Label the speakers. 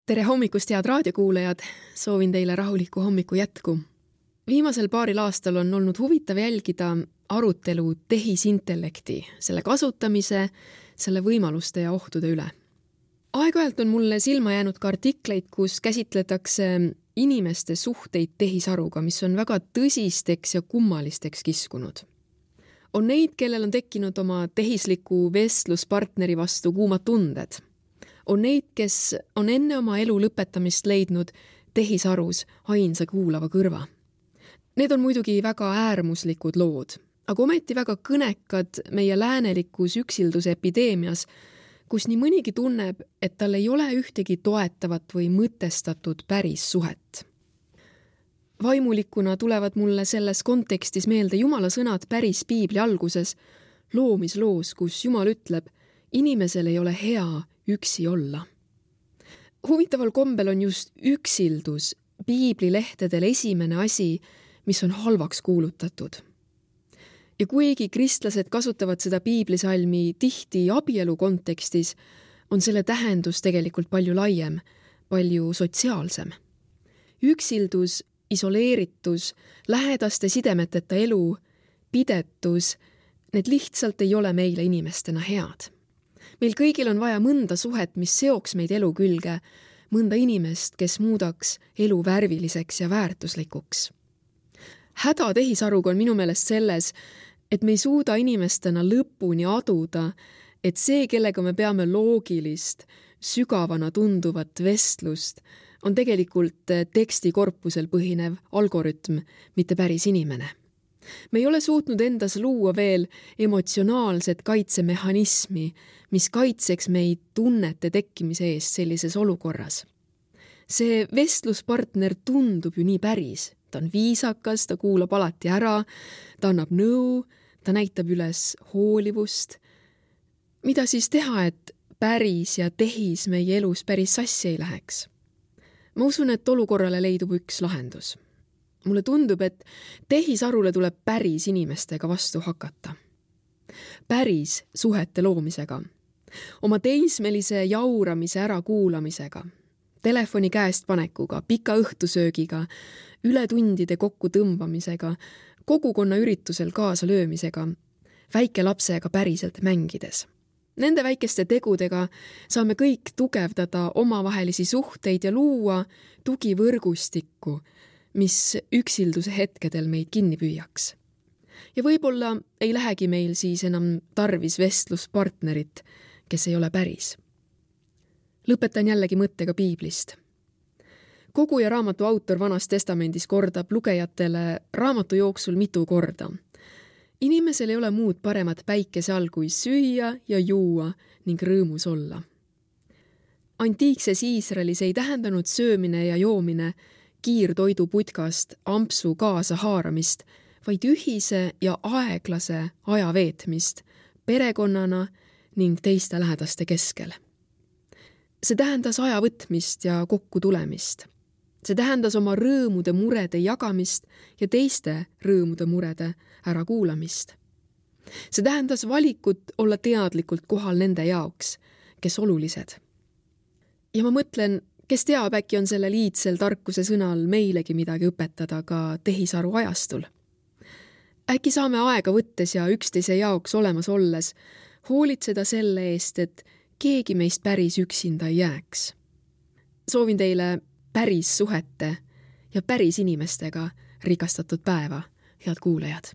Speaker 1: Tere hommikust, head raadiokuulajad! Soovin teile rahulikku hommiku jätku. Viimasel paaril aastal on olnud huvitav jälgida arutelu tehisintellekti, selle kasutamise, selle võimaluste ja ohtude üle. Aeg-ajalt on mulle silma jäänud ka artikleid, kus käsitletakse inimeste suhteid tehisaruga, mis on väga tõsisteks ja kummalisteks kiskunud. On neid, kellel on tekkinud oma tehisliku vestluspartneri vastu kuumad tunded. On neid, kes on enne oma elu lõpetamist leidnud tehisarus ainsa kuulava kõrva. Need on muidugi väga äärmuslikud lood, aga ometi väga kõnekad meie läänelikus üksilduse epideemias, kus nii mõnigi tunneb, et tal ei ole ühtegi toetavat või mõtestatud päris suhet. Vaimulikuna tulevad mulle selles kontekstis meelde Jumala sõnad päris piibli alguses, loomisloos, kus Jumal ütleb, inimesel ei ole hea üksi olla. Huvitaval kombel on just üksildus piiblilehtedel esimene asi, mis on halvaks kuulutatud. Ja kuigi kristlased kasutavad seda piiblisalmi tihti abielu kontekstis, on selle tähendus tegelikult palju laiem, palju sotsiaalsem. Üksildus, isoleeritus, lähedaste sidemeteta elu, pidetus, need lihtsalt ei ole meile inimestena head. Meil kõigil on vaja mõnda suhet, mis seoks meid elu külge, mõnda inimest, kes muudaks elu värviliseks ja väärtuslikuks. Häda tehisaruga on minu meelest selles, et me ei suuda inimestena lõpuni aduda, et see, kellega me peame loogilist, sügavana tunduvat vestlust, on tegelikult tekstikorpusel põhinev algoritm, mitte päris inimene. Me ei ole suutnud endas luua veel emotsionaalset kaitsemehhanismi, mis kaitseks meid tunnete tekkimise eest sellises olukorras. See vestluspartner tundub ju nii päris. Ta on viisakas, ta kuulab alati ära, ta annab nõu, ta näitab üles hoolivust. Mida siis teha, et päris ja tehis meie elus päris sassi ei läheks? Ma usun, et olukorrale leidub üks lahendus. Mulle tundub, et tehisarule tuleb päris inimestega vastu hakata. Päris suhete loomisega. Oma teismelise jauramise ära kuulamisega. Telefoni käest panekuga, pika õhtusöögiga, ületundide kokku tõmbamisega, kogukonna üritusel kaasa löömisega, väike lapsega päriselt mängides. Nende väikeste tegudega saame kõik tugevdada omavahelisi suhteid ja luua tugivõrgustikku, mis üksilduse hetkedel meid kinni püüaks. Ja võib-olla ei lähegi meil siis enam tarvis vestluspartnerit, kes ei ole päris. Lõpetan jällegi mõttega piiblist. Koguja raamatu autor Vanas testamendis kordab lugejatele raamatu jooksul mitu korda. Inimesel ei ole muud paremat päikese all kui süüa ja juua ning rõõmus olla. Antiikses Iisraelis ei tähendanud söömine ja joomine kiirtoidu putkast ampsu kaasa haaramist, vaid ühise ja aeglase aja veetmist perekonnana ning teiste lähedaste keskel. See tähendas aja võtmist ja kokku tulemist. See tähendas oma rõõmude murede jagamist ja teiste rõõmude murede ärakuulamist. See tähendas valikut olla teadlikult kohal nende jaoks, kes olulised. Ja ma mõtlen, kes teab, äkki on selle liidsel tarkuse sõnal meilegi midagi õpetada ka tehisaru ajastul. Äkki saame aega võttes ja üksteise jaoks olemas olles hoolitseda selle eest, et keegi meist päris üksinda ei jääks. Soovin teile päris suhete ja päris inimestega rikastatud päeva, head kuulajad.